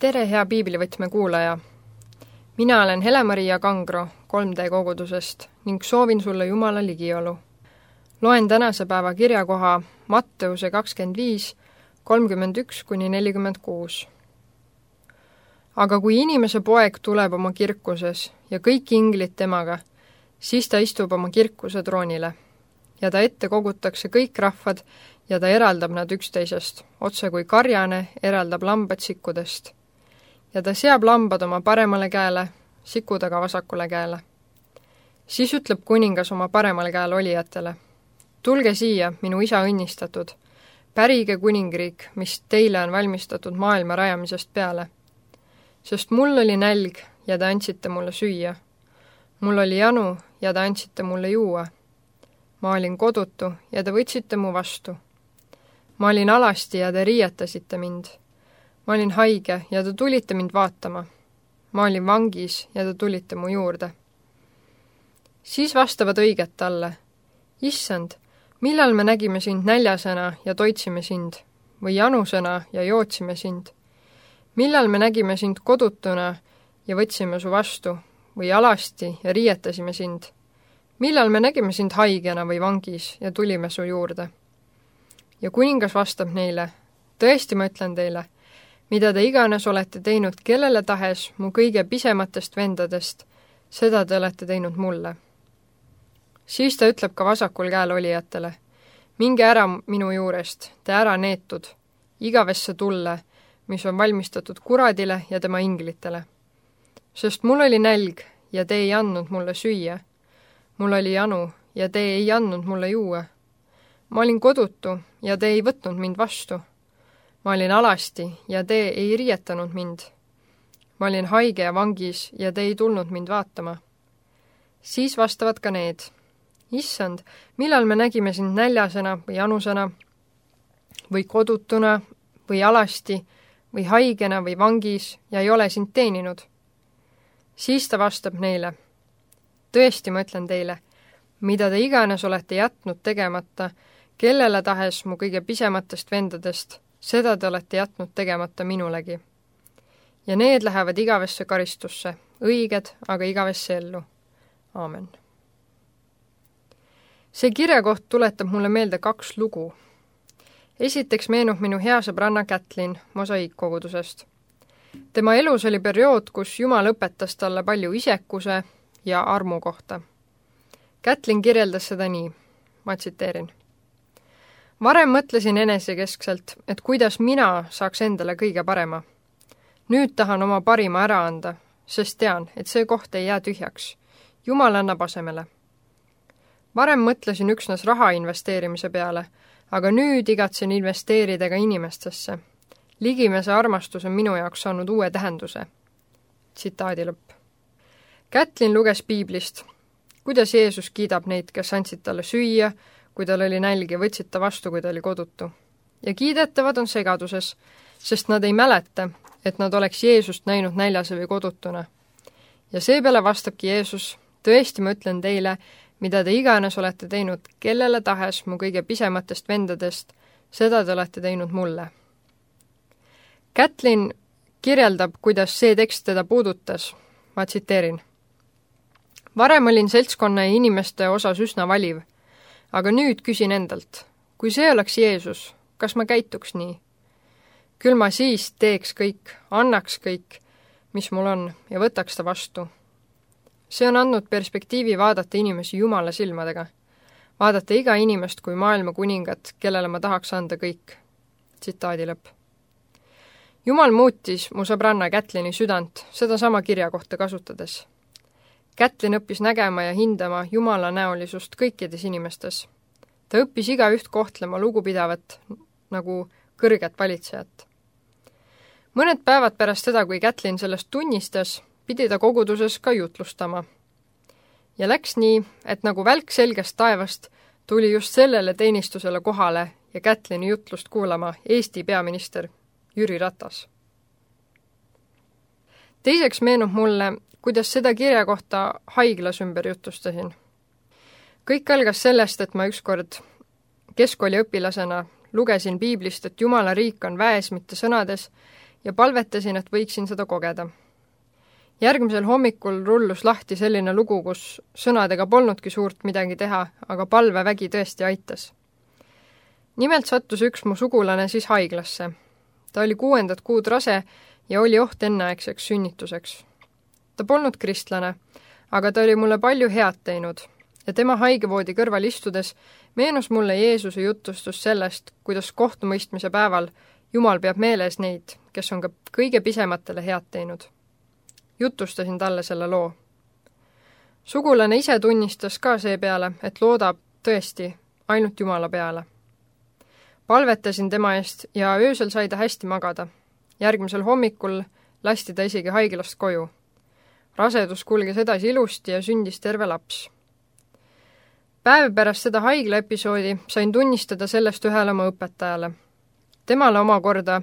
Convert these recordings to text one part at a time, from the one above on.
Tere, hea piiblivõtme kuulaja! Mina olen Hele-Maria Kangro 3D kogudusest ning soovin sulle Jumala ligiolu. Loen tänase päeva kirjakoha Matteuse 25, 31-46. Aga kui inimese poeg tuleb oma kirkuses ja kõik inglid temaga, siis ta istub oma kirkuse troonile ja ta ette kogutakse kõik rahvad ja ta eraldab nad üksteisest, otse kui karjane eraldab lambad sikkudest. Ja ta seab lambad oma paremale käele, sikud aga vasakule käele. Siis ütleb kuningas oma paremale käele olijatele: tulge siia, minu isa õnnistatud, pärige kuningriik, mis teile on valmistatud maailma rajamisest peale. Sest mul oli nälg ja te andsite mulle süüa. Mul oli janu ja te andsite mulle juua. Ma olin kodutu ja te võtsite mu vastu. Ma olin alasti ja te riietasite mind. Ma olin haige ja te tulite mind vaatama. Ma olin vangis ja te tulite mu juurde. Siis vastavad õiged talle: Issand, millal me nägime sind näljasena ja toitsime sind, või janusena ja jootsime sind? Millal me nägime sind kodutuna ja võtsime su vastu, või alasti ja riietasime sind? Millal me nägime sind haigena või vangis ja tulime su juurde? Ja kuningas vastab neile: tõesti ma ütlen teile, mida te iganes olete teinud kellele tahes mu kõige pisematest vendadest, seda te olete teinud mulle. Siis ta ütleb ka vasakul käel olijatele: minge ära minu juurest, te ära neetud, igavesse tulle, mis on valmistatud kuradile ja tema inglitele. Sest mul oli nälg ja te ei andnud mulle süüa. Mul oli janu ja te ei andnud mulle juua. Ma olin kodutu ja te ei võtnud mind vastu. Ma olin alasti ja te ei riietanud mind. Ma olin haige ja vangis ja te ei tulnud mind vaatama. Siis vastavad ka need: Issand, millal me nägime sind näljasena või janusena või kodutuna või alasti või haigena või vangis ja ei ole sind teeninud? Siis ta vastab neile: tõesti ma ütlen teile, mida te iganes olete jätnud tegemata kellele tahes mu kõige pisematest vendadest, seda te olete jätnud tegemata minulegi. Ja need lähevad igavesse karistusse, õiged aga igavesse ellu. Aamen. See kirjakoht tuletab mulle meelde 2 lugu. Esiteks meenub minu hea sõbranna Kätlin Mosaiikkogudusest. Tema elus oli periood, kus Jumal õpetas talle palju isekuse ja armu kohta. Kätlin kirjeldas seda nii, ma tsiteerin: varem mõtlesin enesekeskselt, et kuidas mina saaks endale kõige parema. Nüüd tahan oma parima ära anda, sest tean, et see koht ei jää tühjaks. Jumal annab asemele. Varem mõtlesin üksnes raha investeerimise peale, aga nüüd igatsen investeerida ka inimestesse. Ligimese armastus on minu jaoks saanud uue tähenduse. Tsitaadi lõpp. Kätlin luges piiblist, kuidas Jeesus kiidab neid, kes andsid talle süüa, kui tal oli nälg ja võtsid ta vastu, kui ta oli kodutu. Ja kiidetavad on segaduses, sest nad ei mäleta, et nad oleks Jeesust näinud näljase või kodutuna. Ja seepeale vastabki Jeesus: tõesti ma ütlen teile, mida te iganes olete teinud kellele tahes mu kõige pisematest vendadest, seda te olete teinud mulle. Kätlin kirjeldab, kuidas see tekst teda puudutas. Ma tsiteerin: varem olin seltskonna ja inimeste osas üsna valiv, aga nüüd küsin endalt, kui see oleks Jeesus, kas ma käituks nii? Küll ma siis teeks kõik, annaks kõik, mis mul on, ja võtaks ta vastu. See on andnud perspektiivi vaadata inimesi Jumala silmadega. Vaadata iga inimest kui maailma kuningat, kellele ma tahaks anda kõik. Tsitaadi lõpp. Jumal muutis mu sõbranna Kätlini südant seda sama kirjakohta kasutades. Kätlin õppis nägema ja hindama Jumala näolisust kõikides inimestes. Ta õppis igaüht kohtlema lugupidavat nagu kõrget valitsejat. Mõned päevad pärast seda, kui Kätlin sellest tunnistas, pidi ta koguduses ka jutlustama. Ja läks nii, et nagu välk selgest taevast tuli just sellele teenistusele kohale ja Kätlini jutlust kuulama Eesti peaminister Jüri Ratas. Teiseks meenub mulle, kuidas seda kirja kohta haiglas ümber jutustasin. Kõik algas sellest, et ma ükskord keskkooli õpilasena lugesin piiblist, et Jumala riik on väes, mitte sõnades, ja palvetasin, et võiksin seda kogeda. Järgmisel hommikul rullus lahti selline lugu, kus sõnadega polnudki suurt midagi teha, aga palvevägi tõesti aitas. Nimelt sattus üks mu sugulane siis haiglasse. Ta oli 6. kuud rase ja oli oht enneaegseks sünnituseks. Ta polnud kristlane, aga ta oli mulle palju head teinud ja tema haigevoodi kõrval istudes meenus mulle Jeesuse jutustus sellest, kuidas kohtumõistmise päeval Jumal peab meeles neid, kes on ka kõige pisematele head teinud. Jutustasin talle selle loo. Sugulane ise tunnistas ka seepeale, et loodab tõesti ainult Jumala peale. Palvetasin tema eest ja öösel sai ta hästi magada. Järgmisel hommikul lasti ta isegi haiglast koju. Rasedus kulges edasi ilusti ja sündis terve laps. Päev pärast seda haiglaepisoodi sain tunnistada sellest ühele oma õpetajale. Temale omakorda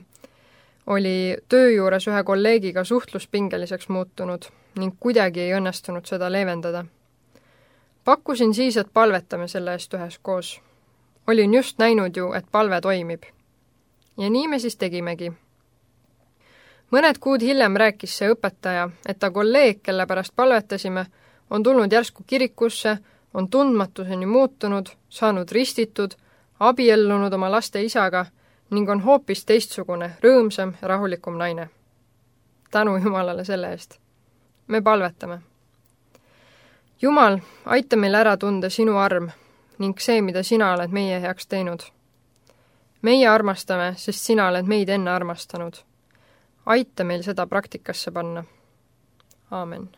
oli töö juures ühe kolleegiga suhtluspingeliseks muutunud ning kuidagi ei õnnestunud seda leevendada. Pakkusin siis, et palvetame selle eest üheskoos. Olin just näinud ju, et palve toimib. Ja nii me siis tegimegi. Mõned kuud hiljem rääkis see õpetaja, et ta kolleeg, kelle pärast palvetasime, on tulnud järsku kirikusse, on tundmatuseni muutunud, saanud ristitud, abiellunud oma laste isaga ning on hoopis teistsugune, rõõmsam ja rahulikum naine. Tänu Jumalale selle eest. Me palvetame. Jumal, aita meil ära tunda sinu arm ning see, mida sina oled meie heaks teinud. Meie armastame, sest sina oled meid enne armastanud. Aita meil seda praktikasse panna. Aamen.